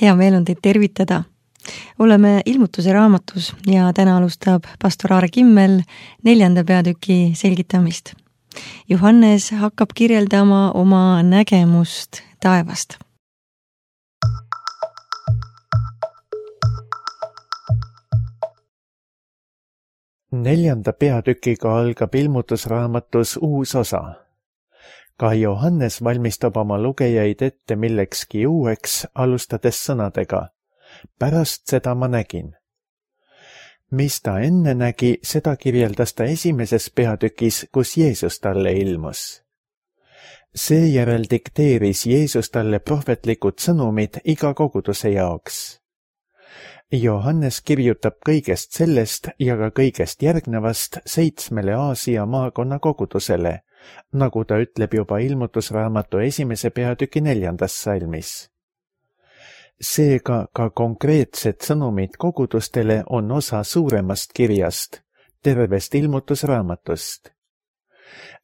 hea meel on teid tervitada. Oleme ilmutuse raamatus ja täna alustab pastor Aare Kimmel 4. peatüki selgitamist. Johannes hakkab kirjeldama oma nägemust taevast. Neljanda peatükiga algab ilmutusraamatus uus osa. Ka Johannes valmistab oma lugejaid ette millekski uueks, alustades sõnadega. Pärast seda ma nägin. Mis ta enne nägi, seda kirjeldas ta esimeses peatükis, kus Jeesus talle ilmus. Seejärel dikteeris Jeesus talle prohvetlikud sõnumid iga koguduse jaoks. Johannes kirjutab kõigest sellest ja ka kõigest järgnevast 7 Aasia maakonna kogudusele, nagu ta ütleb juba ilmutusraamatu 1. peatüki 4. salmis. Seega ka konkreetsed sõnumid kogudustele on osa suuremast kirjast, tervest ilmutusraamatust.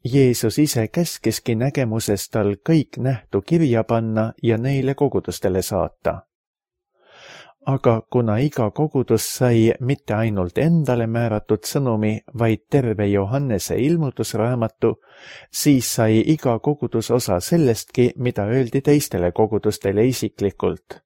Jeesus ise käskiski nägemuses tal kõik nähtu kirja panna ja neile kogudustele saata. Aga kuna iga kogudus sai mitte ainult endale määratud sõnumi, vaid terve Johannese ilmutusraamatu, siis sai iga kogudus osa sellestki, mida öeldi teistele kogudustele isiklikult.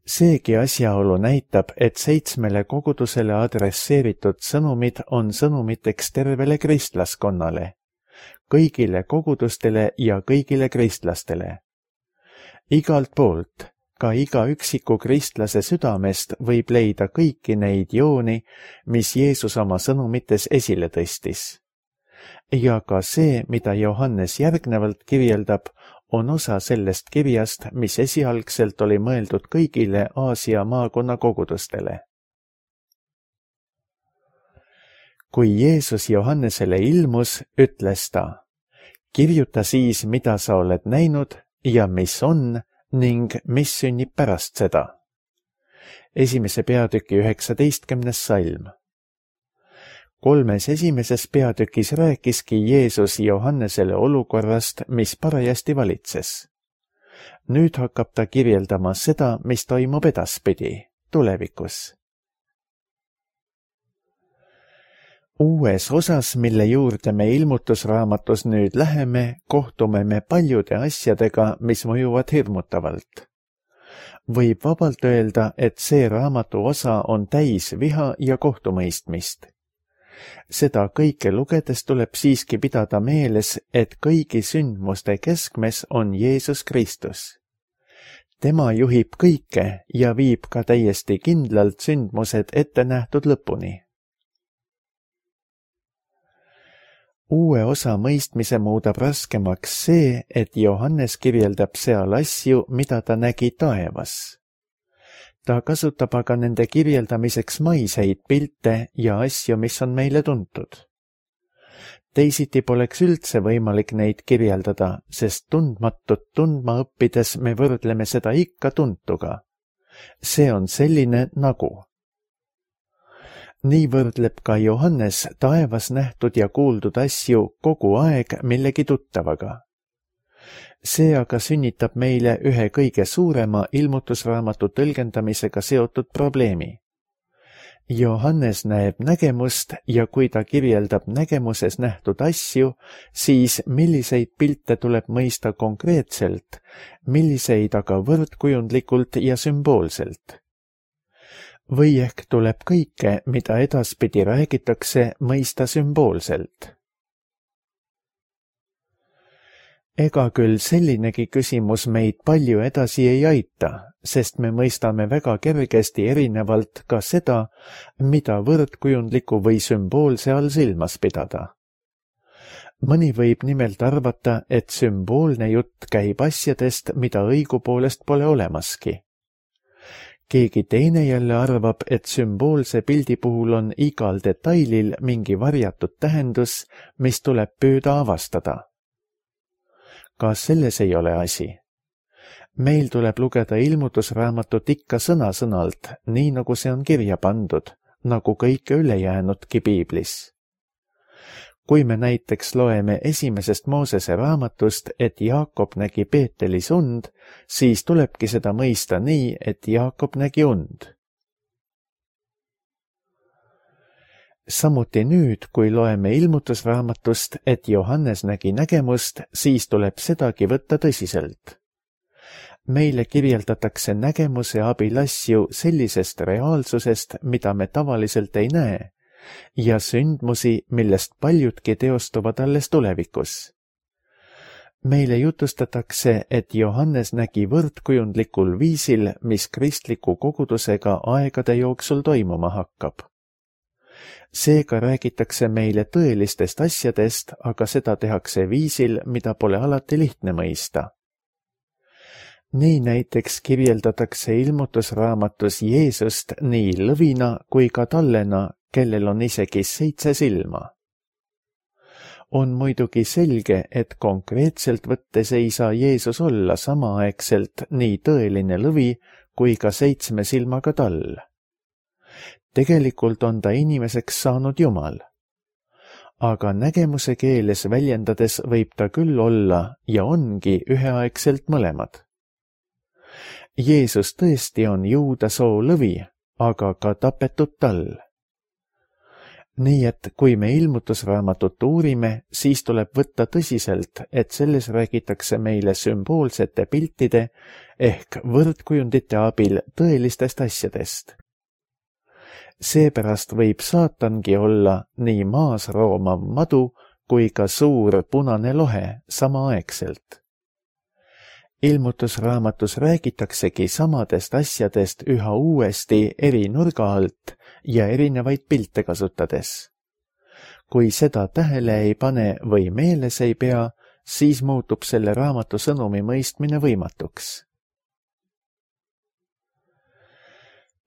Seegi asjaolu näitab, et 7 kogudusele adresseeritud sõnumid on sõnumiteks tervele kristlaskonnale, kõigile kogudustele ja kõigile kristlastele. Igalt poolt, ka iga üksiku kristlase südamest võib leida kõiki neid jooni, mis Jeesus oma sõnumites esile tõstis. Ja ka see, mida Johannes järgnevalt kirjeldab, on osa sellest kirjast, mis esialgselt oli mõeldud kõigile Aasia maakonna kogudustele. Kui Jeesus Johannesele ilmus, ütles ta, kirjuta siis, mida sa oled näinud ja mis on ning mis sünnib pärast seda. 1. peatüki 19. salm. 3. esimeses peatükis rääkiski Jeesus Johannesele olukorrast, mis parajasti valitses. Nüüd hakkab ta kirjeldama seda, mis toimub edaspidi, tulevikus. Uues osas, mille juurde me ilmutusraamatus nüüd läheme, kohtume me paljude asjadega, mis mõjuvad hirmutavalt. Võib vabalt öelda, et see raamatu osa on täis viha ja kohtumõistmist. Seda kõike lugedes tuleb siiski pidada meeles, et kõigi sündmuste keskmes on Jeesus Kristus. Tema juhib kõike ja viib ka täiesti kindlalt sündmused ette nähtud lõpuni. Uue osa mõistmise muudab raskemaks see, et Johannes kirjeldab seal asju, mida ta nägi taevas. Ta kasutab aga nende kirjeldamiseks maiseid pilte ja asju, mis on meile tuntud. Teisiti poleks üldse võimalik neid kirjeldada, sest tundmatut tundma õppides me võrdleme seda ikka tuntuga. See on selline nagu. Nii võrdleb ka Johannes taevas nähtud ja kuuldud asju kogu aeg millegi tuttavaga. See aga sünnitab meile ühe kõige suurema ilmutusraamatu tõlgendamisega seotud probleemi. Johannes näeb nägemust ja kui ta kirjeldab nägemuses nähtud asju, siis milliseid pilte tuleb mõista konkreetselt, milliseid aga võrdkujundlikult ja sümboolselt. Või ehk tuleb kõike, mida edaspidi räägitakse, mõista sümboolselt. Ega küll sellinegi küsimus meid palju edasi ei aita, sest me mõistame väga kergesti erinevalt ka seda, mida võrdkujundliku või sümboolse all silmas pidada. Mõni võib nimelt arvata, et sümboolne jutt käib asjadest, mida õigupoolest pole olemaski. Keegi teine jälle arvab, et sümboolse pildi puhul on igal detailil mingi varjatud tähendus, mis tuleb püüda avastada. Ka selles ei ole asi. Meil tuleb lugeda ilmutusraamatut ikka sõna-sõnalt, nii nagu see on kirja pandud, nagu kõike ülejäänudki piiblis. kui me näiteks loeme esimesest Moosese raamatust, et Jaakob nägi Beetelis und, siis tulebki seda mõista nii, et Jaakob nägi und. Samuti nüüd, kui loeme ilmutusraamatust, et Johannes nägi nägemust, siis tuleb sedagi võtta tõsiselt. Meile kirjeldatakse nägemuse abil asju sellisest reaalsusest, mida me tavaliselt ei näe, ja sündmusi, millest paljudki teostuvad alles tulevikus. Meile jutustatakse, et Johannes nägi võrdkujundlikul viisil, mis kristliku kogudusega aegade jooksul toimuma hakkab. Seega räägitakse meile tõelistest asjadest, aga seda tehakse viisil, mida pole alati lihtne mõista. Nii näiteks kirjeldatakse ilmutusraamatus Jeesust nii lõvina kui ka tallena, kellel on isegi 7 silma. On muidugi selge, et konkreetselt võttes ei saa Jeesus olla samaaegselt nii tõeline lõvi kui ka 7 silmaga tall. Tegelikult on ta inimeseks saanud Jumal. Aga nägemuse keeles väljendades võib ta küll olla ja ongi üheaegselt mõlemad. Jeesus tõesti on juuda soo lõvi, aga ka tapetud tall. Nii et kui me ilmutusraamatut uurime, siis tuleb võtta tõsiselt, et selles räägitakse meile sümboolsete piltide ehk võrdkujundite abil tõelistest asjadest. Seepärast võib saatangi olla nii maas roomav madu kui ka suur punane lohe samaaegselt. Ilmutusraamatus räägitaksegi samadest asjadest üha uuesti eri nurga alt ja erinevaid pilte kasutades. Kui seda tähele ei pane või meeles ei pea, siis muutub selle raamatu sõnumi mõistmine võimatuks.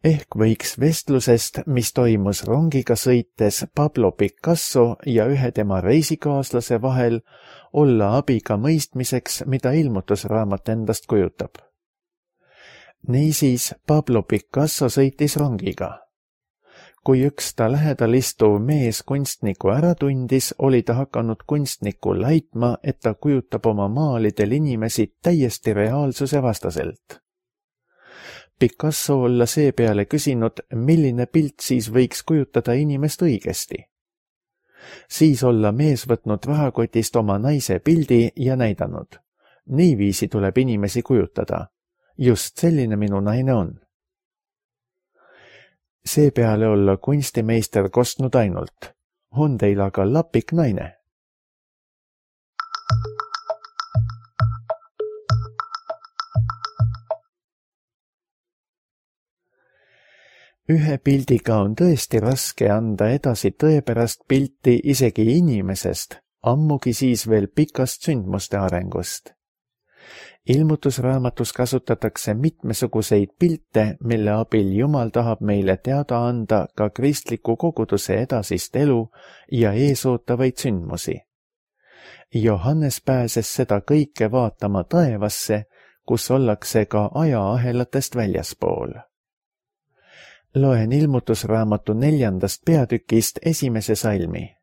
Ehk võiks vestlusest, mis toimus rongiga sõites Pablo Picasso ja ühe tema reisikaaslase vahel, olla abi ka mõistmiseks, mida ilmutusraamat endast kujutab. Niisiis Pablo Picasso sõitis rongiga. Kui üks ta lähedal istuv mees kunstniku ära tundis, oli ta hakanud kunstnikku laitma, et ta kujutab oma maalidel inimesi täiesti reaalsuse vastaselt. Picasso olla seepeale küsinud, milline pilt siis võiks kujutada inimest õigesti. Siis olla mees võtnud rahakotist oma naise pildi ja näidanud. Niiviisi tuleb inimesi kujutada. Just selline minu naine on. Seepeale olla kunstimeister kostnud ainult. On teil aga lapik naine? Ühe pildiga on tõesti raske anda edasi tõepärast pilti isegi inimesest, ammugi siis veel pikast sündmuste arengust. Ilmutusraamatus kasutatakse mitmesuguseid pilte, mille abil Jumal tahab meile teada anda ka kristliku koguduse edasist elu ja eesootavaid sündmusi. Johannes pääses seda kõike vaatama taevasse, kus ollakse ka ajaahelatest väljaspool. Loen ilmutusraamatu 4. peatükist 1. salmi.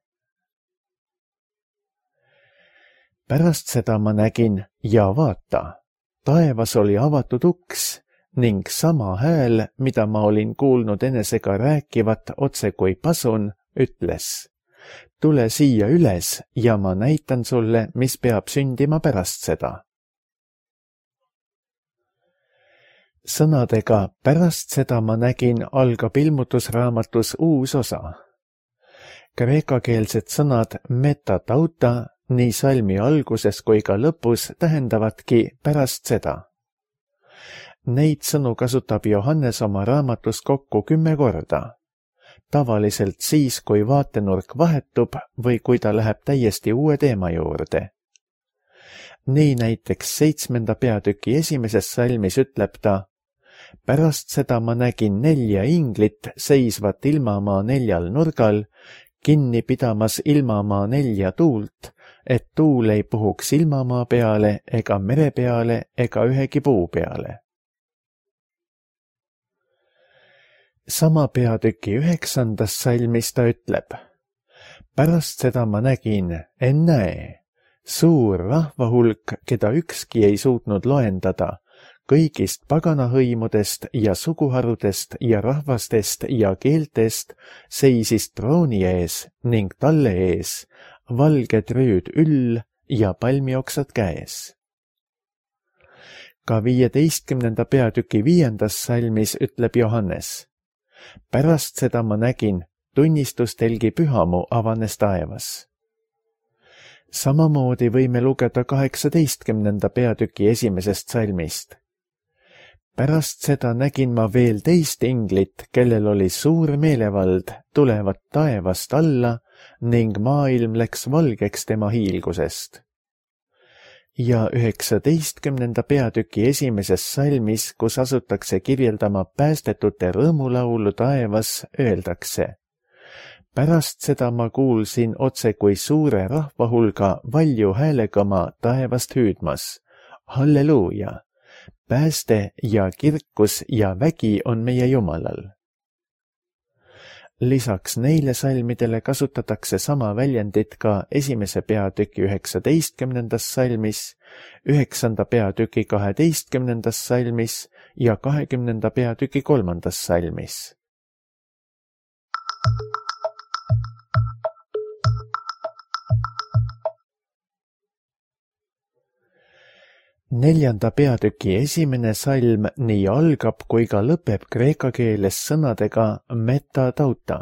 Pärast seda ma nägin ja vaata, taevas oli avatud uks ning sama hääl, mida ma olin kuulnud enesega rääkivat otse kui pasun, ütles: tule siia üles ja ma näitan sulle, mis peab sündima pärast seda. Sõnadega pärast seda ma nägin algab ilmutusraamatus uus osa. Kreekakeelsed sõnad metatauta nii salmi alguses kui ka lõpus tähendavadki pärast seda. Neid sõnu kasutab Johannes oma raamatus kokku 10 korda. Tavaliselt siis, kui vaatenurk vahetub või kui ta läheb täiesti uue teema juurde. Nii näiteks 7. peatüki 1. salmis ütleb ta: pärast seda ma nägin 4 inglit seisvat ilmamaa 4 nurgal, kinni pidamas ilmamaa 4 tuult, et tuul ei puhuks ilmamaa peale ega mere peale ega ühegi puu peale. Sama peatüki 9. salmis ta ütleb: Pärast seda ma nägin, ennäe, suur rahvahulk, keda ükski ei suutnud loendada, kõigist paganahõimudest ja suguharudest ja rahvastest ja keeltest seisis trooni ees ning talle ees valged rüüd üll ja palmioksad käes. Ka 15. peatüki 5. salmis ütleb Johannes: pärast seda ma nägin, tunnistustelgi pühamu avanes taevas. Samamoodi võime lugeda 18. peatüki 1. salmist. Pärast seda nägin ma veel teist inglit, kellel oli suur meelevald, tulevat taevast alla ning maailm läks valgeks tema hiilgusest. Ja 19. peatüki 1. salmis, kus asutakse kirjeldama päästetute rõõmulaulu taevas, öeldakse: pärast seda ma kuulsin otse kui suure rahvahulga valju häälega ma taevast hüüdmas: halleluuja! Pääste ja kirkus ja vägi on meie Jumalal. Lisaks neile salmidele kasutatakse sama väljendit ka 1. peatüki 19. salmis, 9. peatüki 12. salmis ja 20. peatüki 3. salmis. Neljanda peatüki 1. salm nii algab kui ka lõpeb kreeka keeles sõnadega metatauta,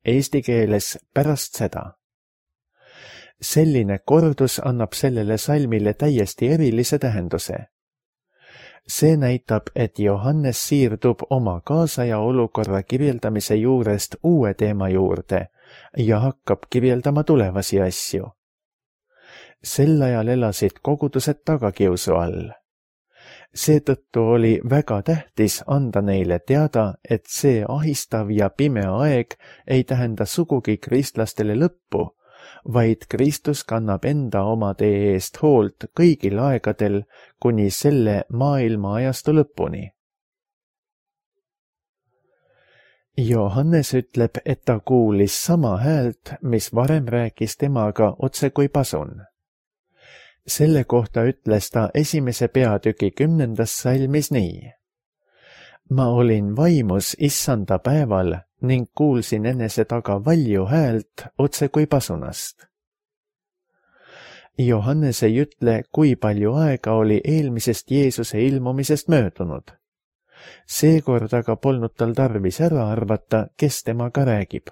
eesti keeles pärast seda. Selline kordus annab sellele salmile täiesti erilise tähenduse. See näitab, et Johannes siirdub oma kaasaja olukorra kirjeldamise juurest uue teema juurde ja hakkab kirjeldama tulevasi asju. Sel ajal elasid kogudused tagakiusu all. Seetõttu oli väga tähtis anda neile teada, et see ahistav ja pime aeg ei tähenda sugugi kristlastele lõppu, vaid Kristus kannab enda oma tee eest hoolt kõigil aegadel kuni selle maailma ajastu lõpuni. Johannes ütleb, et ta kuulis sama häält, mis varem rääkis temaga otse kui pasun. Selle kohta ütles ta 1. peatüki 10. salmis nii: ma olin vaimus issanda päeval ning kuulsin enese taga valju häält otse kui pasunast. Johannes ei ütle, kui palju aega oli eelmisest Jeesuse ilmumisest möödunud. Seekord aga polnud tal tarvis ära arvata, kes temaga räägib.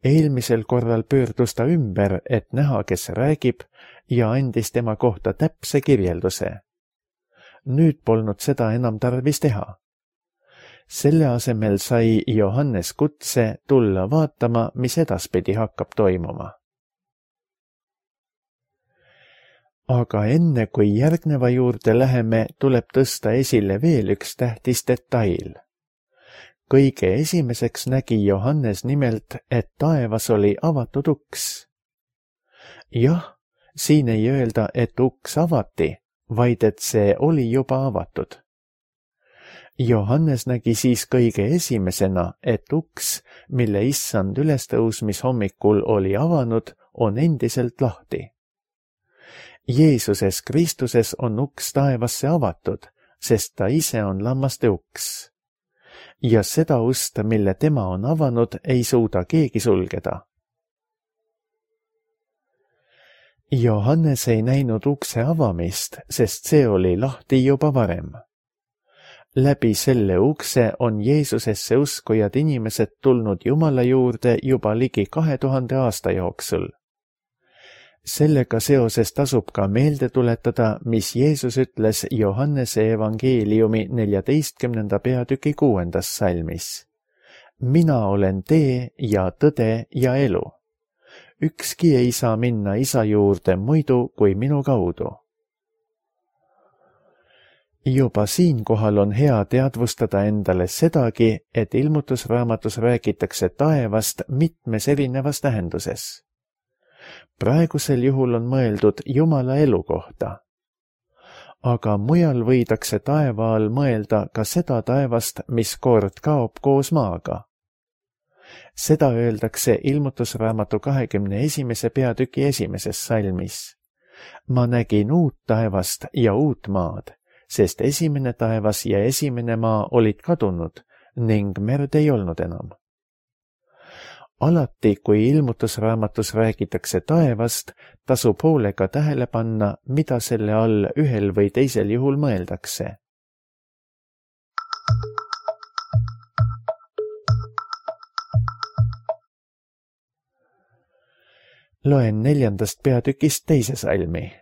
Eelmisel korral pöördus ta ümber, et näha, kes räägib, ja andis tema kohta täpse kirjelduse. Nüüd polnud seda enam tarvis teha. Selle asemel sai Johannes kutse tulla vaatama, mis edaspidi hakkab toimuma. Aga enne kui järgneva juurde läheme, tuleb tõsta esile veel üks tähtis detail. Kõige esimeseks nägi Johannes nimelt, et taevas oli avatud uks. Jah, siin ei öelda, et uks avati, vaid et see oli juba avatud. Johannes nägi siis kõige esimesena, et uks, mille issand ülestõusmishommikul oli avanud, on endiselt lahti. Jeesuses Kristuses on uks taevasse avatud, sest ta ise on lammaste uks. Ja seda ust, mille tema on avanud, ei suuda keegi sulgeda. Johannes ei näinud ukse avamist, sest see oli lahti juba varem. Läbi selle ukse on Jeesusesse uskujad inimesed tulnud Jumala juurde juba ligi 2000 aasta jooksul. Sellega seoses tasub ka meelde tuletada, mis Jeesus ütles Johannese evangeeliumi 14. peatüki 6. salmis. Mina olen tee ja tõde ja elu. Ükski ei saa minna isa juurde muidu kui minu kaudu. Juba siinkohal on hea teadvustada endale sedagi, et ilmutusraamatus räägitakse taevast mitmes erinevas tähenduses. Praegusel juhul on mõeldud Jumala elu kohta. Aga mujal võidakse taeva all mõelda ka seda taevast, mis kord kaob koos maaga. Seda öeldakse ilmutusraamatu 21. peatüki 1. salmis. Ma nägin uut taevast ja uut maad, sest esimene taevas ja esimene maa olid kadunud ning merd ei olnud enam. Alati, kui ilmutusraamatus räägitakse taevast, tasub hoolega tähele panna, mida selle all ühel või teisel juhul mõeldakse. Loen 4. peatükist 2. salmi.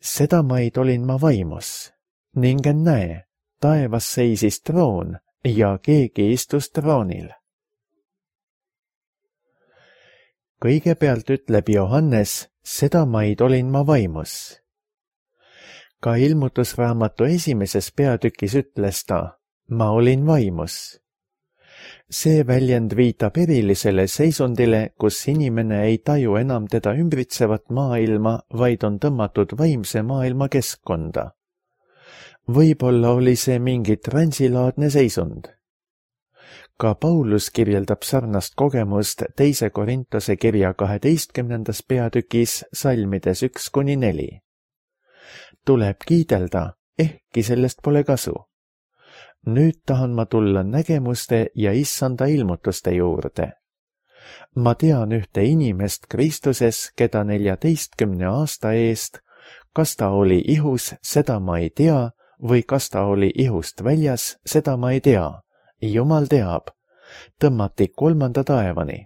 Seda maid olin ma vaimus, ning näe, taevas seisis troon ja keegi istus troonil. Kõigepealt ütleb Johannes, seda maid olin ma vaimus. Ka ilmutusraamatu 1. peatükis ütles ta, ma olin vaimus. See väljend viitab erilisele seisundile, kus inimene ei taju enam teda ümbritsevat maailma, vaid on tõmmatud vaimse maailma keskkonda. Võib-olla oli see mingi transilaadne seisund. Ka Paulus kirjeldab sarnast kogemust 2. Korintuse kirja 12. peatükis salmides 1-4. Tuleb kiidelda, ehkki sellest pole kasu. Nüüd tahan ma tulla nägemuste ja issanda ilmutuste juurde. Ma tean ühte inimest Kristuses, keda 14 aasta eest, kas ta oli ihus, seda ma ei tea, või kas ta oli ihust väljas, seda ma ei tea. Jumal teab, tõmmati 3. taevani.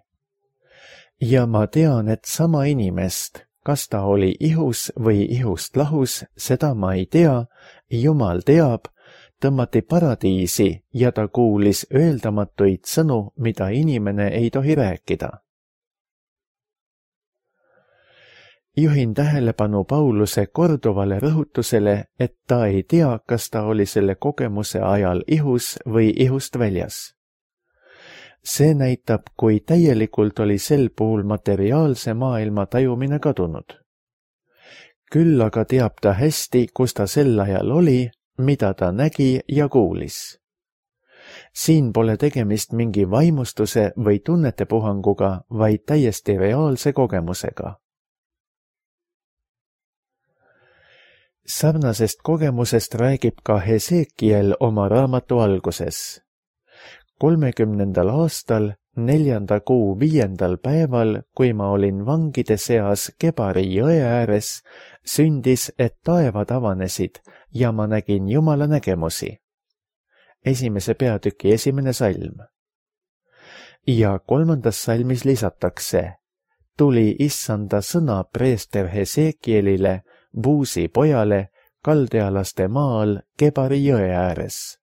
Ja ma tean, et sama inimest, kas ta oli ihus või ihust lahus, seda ma ei tea, Jumal teab, tõmmati paradiisi ja ta kuulis öeldamatuid sõnu, mida inimene ei tohi rääkida. Juhin tähelepanu Pauluse korduvale rõhutusele, et ta ei tea, kas ta oli selle kogemuse ajal ihus või ihust väljas. See näitab, kui täielikult oli sel puhul materiaalse maailma tajumine kadunud. Küll aga teab ta hästi, kus ta sel ajal oli, mida ta nägi ja kuulis. Siin pole tegemist mingi vaimustuse või tunnetepuhanguga, vaid täiesti reaalse kogemusega. Sarnasest kogemusest räägib ka Hesekiel oma raamatu alguses. 30. aastal, 4. kuu 5. päeval, kui ma olin vangide seas Kebari jõe ääres, sündis, et taevad avanesid ja ma nägin Jumala nägemusi. 1. peatüki 1. salm. Ja 3. salmis lisatakse, tuli issanda sõna preester Hesekielile, Buusi pojale, kaldealaste maal Kebari jõe ääres.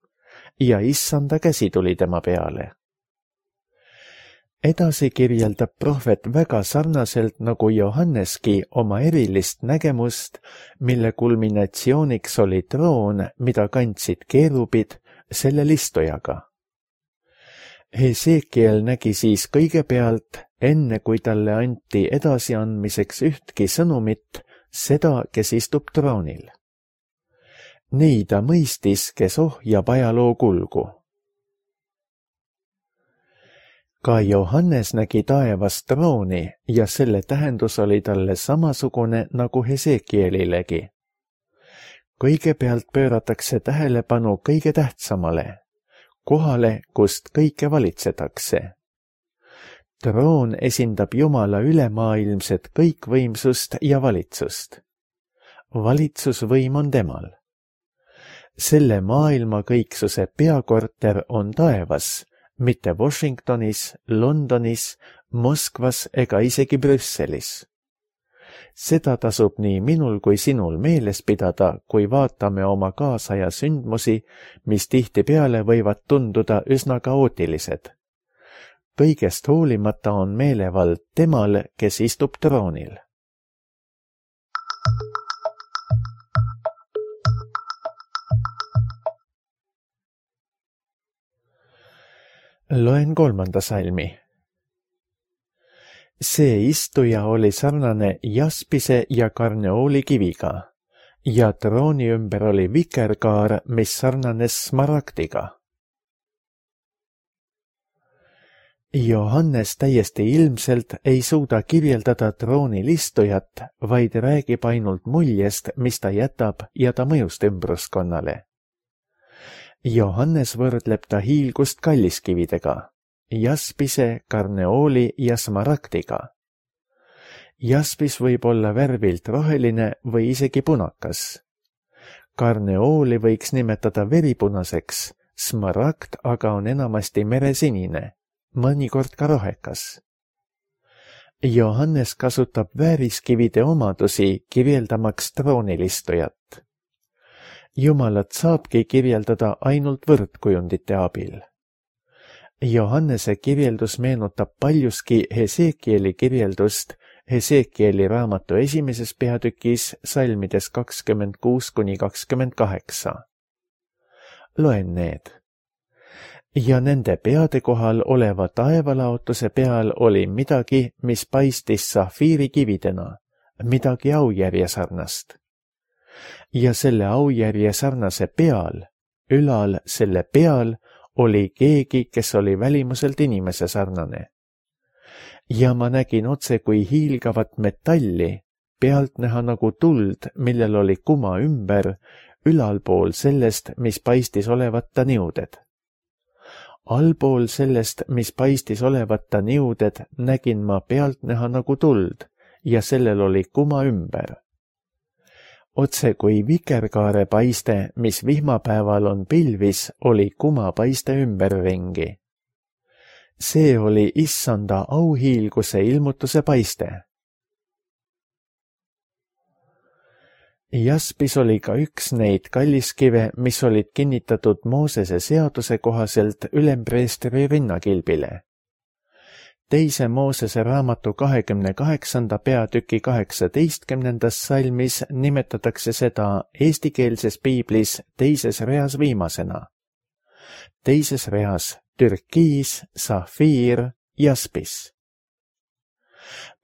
Ja issanda käsi tuli tema peale. Edasi kirjeldab prohvet väga sarnaselt nagu Johanneski oma erilist nägemust, mille kulminatsiooniks oli troon, mida kandsid keerubid selle istujaga. Hesekiel nägi siis kõigepealt, enne kui talle anti edasiandmiseks ühtki sõnumit, seda, kes istub troonil. Nii ta mõistis, kes ohjab ajaloo kulgu. Ka Johannes nägi taevas trooni ja selle tähendus oli talle samasugune nagu Hesekielilegi. Kõigepealt pööratakse tähelepanu kõige tähtsamale, kohale, kust kõike valitsetakse. Troon esindab Jumala ülemaailmset kõikvõimsust ja valitsust. Valitsusvõim on temal. Selle maailma kõiksuse peakorter on taevas, mitte Washingtonis, Londonis, Moskvas ega isegi Brüsselis. Seda tasub nii minul kui sinul meeles pidada, kui vaatame oma kaasaja sündmusi, mis tihtipeale võivad tunduda üsna kaootilised. Kõigest hoolimata on meelevald temal, kes istub troonil. Loen 3. salmi. See istuja oli sarnane jaspise ja karneooli kiviga ja trooni ümber oli vikerkaar, mis sarnanes smaragdiga. Johannes täiesti ilmselt ei suuda kirjeldada troonil istujat, vaid räägib ainult muljest, mis ta jätab ja ta mõjust ümbruskonnale. Johannes võrdleb ta hiilgust kalliskividega, jaspise, karneooli ja smaragdiga. Jaspis võib olla värvilt roheline või isegi punakas. Karneooli võiks nimetada veripunaseks, smaragd aga on enamasti meresinine, mõnikord ka rohekas. Johannes kasutab vääriskivide omadusi kirjeldamaks troonilistujat. Jumalat saabki kirjeldada ainult võrdkujundite abil. Johannese kirjeldus meenutab paljuski Hesekieli kirjeldust Hesekieli raamatu 1. peatükis salmides 26–28. Loen need. Ja nende peade kohal oleva taevalaotuse peal oli midagi, mis paistis safiirikividena, midagi aujärje sarnast. Ja selle aujärje sarnase peal, ülal selle peal, oli keegi, kes oli välimuselt inimese sarnane. Ja ma nägin otse kui hiilgavat metalli, pealtnäha nagu tuld, millel oli kuma ümber, ülalpool sellest, mis paistis olevat ta niuded. Allpool sellest, mis paistis olevat ta niuded, nägin ma pealtnäha nagu tuld ja sellel oli kuma ümber. Otse kui vikerkaare paiste, mis vihmapäeval on pilvis, oli kuma paiste ümberringi. See oli issanda auhiilguse ilmutuse paiste. Jaspis oli ka üks neid kalliskive, mis olid kinnitatud Moosese seaduse kohaselt ülempreestri rinnakilbile. Teise Moosese raamatu 28. peatüki 18. salmis nimetatakse seda eestikeelses piiblis teises reas viimasena. Teises reas türkiis, safiir, jaspis.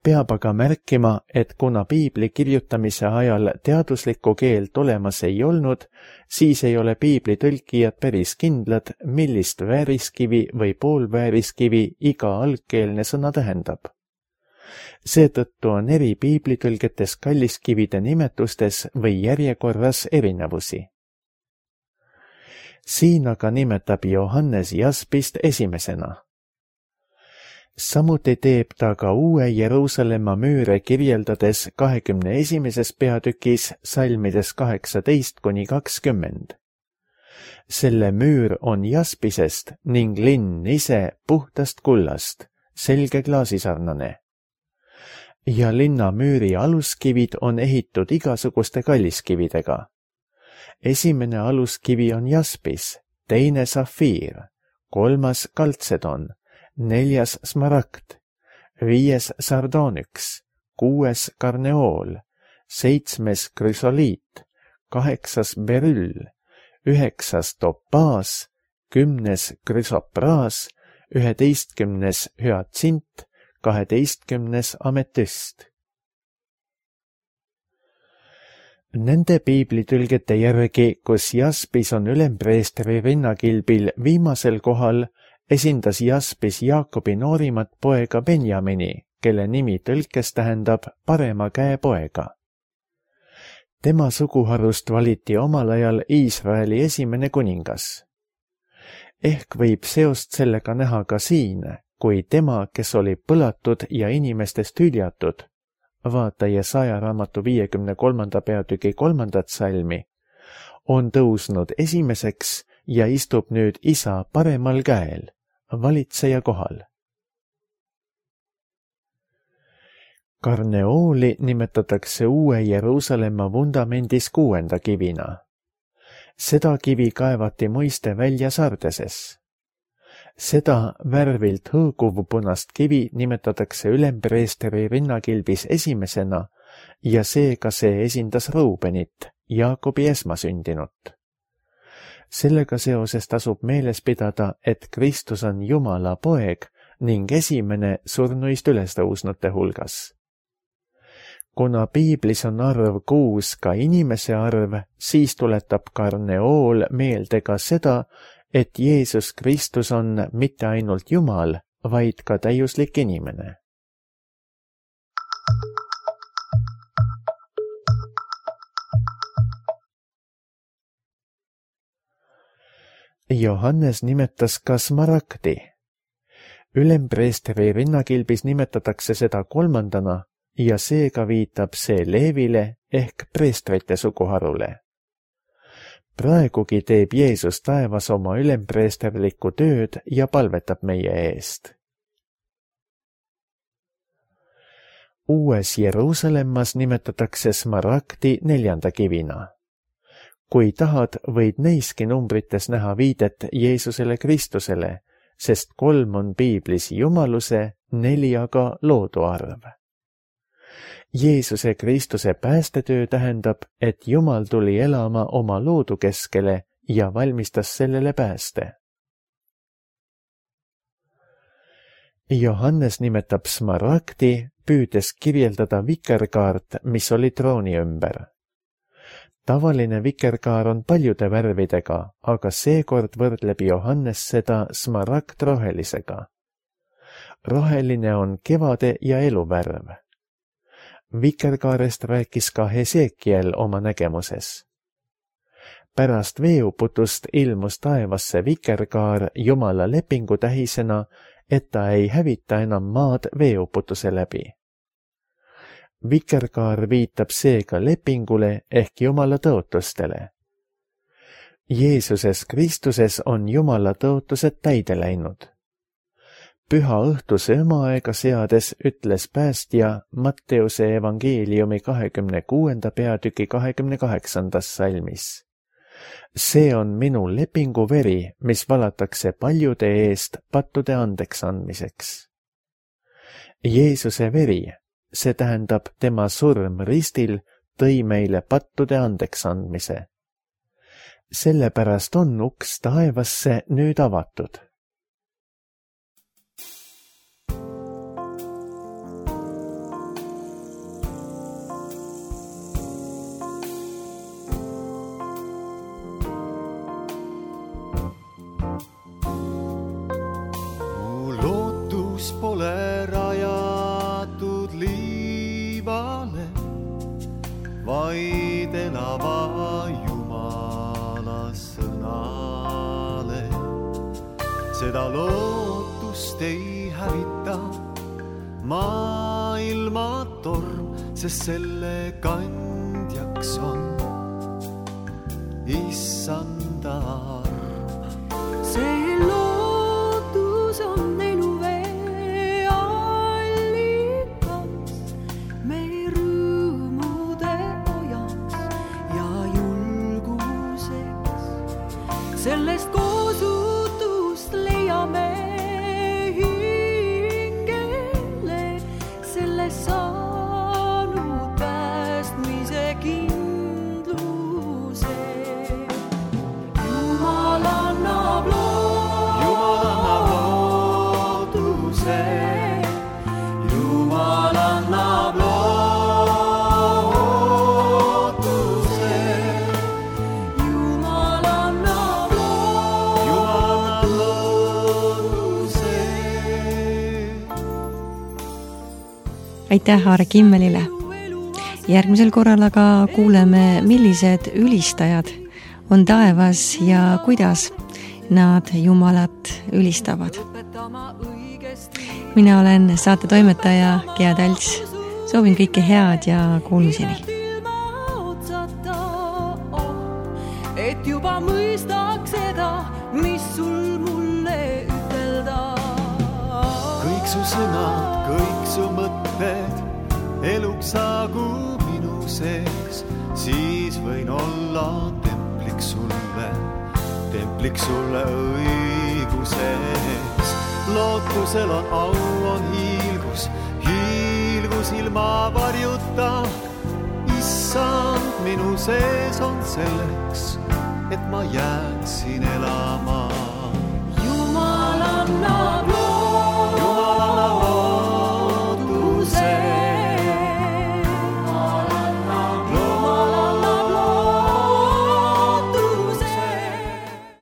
Peab aga märkima, et kuna piibli kirjutamise ajal teaduslikku keelt olemas ei olnud, siis ei ole piibli tõlkijad päris kindlad, millist vääriskivi või poolvääriskivi iga algkeelne sõna tähendab. Seetõttu on eri piiblitõlgetes kalliskivide nimetustes või järjekorras erinevusi. Siin aga nimetab Johannes jaspist esimesena. Samuti teeb ta ka uue Jeruusalemma müüre kirjeldades 21. peatükis salmides 18–20. Selle müür on jaspisest ning linn ise puhtast kullast, selge klaasisarnane. Ja linna müüri aluskivid on ehitud igasuguste kalliskividega. Esimene aluskivi on jaspis, teine safiir, kolmas kaltsedon, 4. smaragd, 5. sardonyks, 6. karneool, 7. krüsoliit, 8. beryll, 9. topaas, 10. krüsopraas, 11. hüatsint, 12. ametüst. Nende piiblitülgete järgi, kus jaspis on ülempreestri rinnakilbil viimasel kohal, esindas jaspis Jaakobi noorimat poega Benjamini, kelle nimi tõlkes tähendab parema käe poega. Tema suguharust valiti omal ajal Iisraeli esimene kuningas. Ehk võib seost sellega näha ka siin, kui tema, kes oli põlatud ja inimestest hüljatud, vaata Jesaja raamatu 53. peatüki 3. salmi, on tõusnud esimeseks ja istub nüüd isa paremal käel, valitseja kohal. Karneooli nimetatakse uue Jeruusalemma vundamendis 6. kivina. Seda kivi kaevati muiste välja Sardeses. Seda värvilt hõõguvpunast kivi nimetatakse ülempreestri rinnakilbis esimesena ja seega see esindas Ruubenit, Jaakobi esmasündinut. Sellega seoses tasub meeles pidada, et Kristus on Jumala poeg ning esimene surnuist ülestõusnute hulgas. Kuna piiblis on arv 6 ka inimese arv, siis tuletab karneool meelde ka seda, et Jeesus Kristus on mitte ainult Jumal, vaid ka täiuslik inimene. Johannes nimetas ka smaragdi. Ülempreestri rinnakilbis nimetatakse seda 3. ja seega viitab see Leevile ehk preestrite suguharule. Praegugi teeb Jeesus taevas oma ülempreesterlikku tööd ja palvetab meie eest. Uues Jeruusalemmas nimetatakse smaragdi 4. kivina. Kui tahad, võid neiski numbrites näha viidet Jeesusele Kristusele, sest 3 on piiblis jumaluse, 4 aga loodu arv. Jeesuse Kristuse päästetöö tähendab, et Jumal tuli elama oma loodu keskele ja valmistas sellele pääste. Johannes nimetab smaragdi, püüdes kirjeldada vikerkaart, mis oli trooni ümber. Tavaline vikerkaar on paljude värvidega, aga seekord võrdleb Johannes seda smaragdrohelisega. Roheline on kevade ja eluvärv. Vikerkaarest rääkis ka Hesekiel oma nägemuses. Pärast veeuputust ilmus taevasse vikerkaar Jumala lepingu tähisena, et ta ei hävita enam maad veeuputuse läbi. Vikerkaar viitab seega lepingule ehk Jumala tõotustele. Jeesuses Kristuses on Jumala tõotused täide läinud. Püha õhtuse õmaaega seades ütles päästja Matteuse evangeeliumi 26. peatüki 28. salmis. See on minu lepingu veri, mis valatakse paljude eest pattude andeks andmiseks. Jeesuse veri, see tähendab tema surm ristil, tõi meile pattude andeks andmise. Sellepärast on uks taevasse nüüd avatud. Pole rajatud liivale, vaid elava Jumala sõnale. Seda lootust ei hävita maailma torm, sest selle kandjaks on Issanda arm. See lootus on sellest koosutust leiame hingele, sellest saanud päästmise kindluse. Jumal annab lootuse, Jumal annab aitäh Aare Kimmelile. Järgmisel korral aga kuuleme, millised ülistajad on taevas ja kuidas nad Jumalat ülistavad. Mina olen saate toimetaja Gea Talts. Soovin kõike head ja kuulmiseni. Et juba mõistaks seda, mis sul mulle ütelda. Kõik su sõnad, kõik su mõtted eluks saagu minu sees, siis võin olla templiks sulle õiguses. Lootusel on au, on hiilgus ilma varjuta. Issand minu sees on selleks, et ma jääksin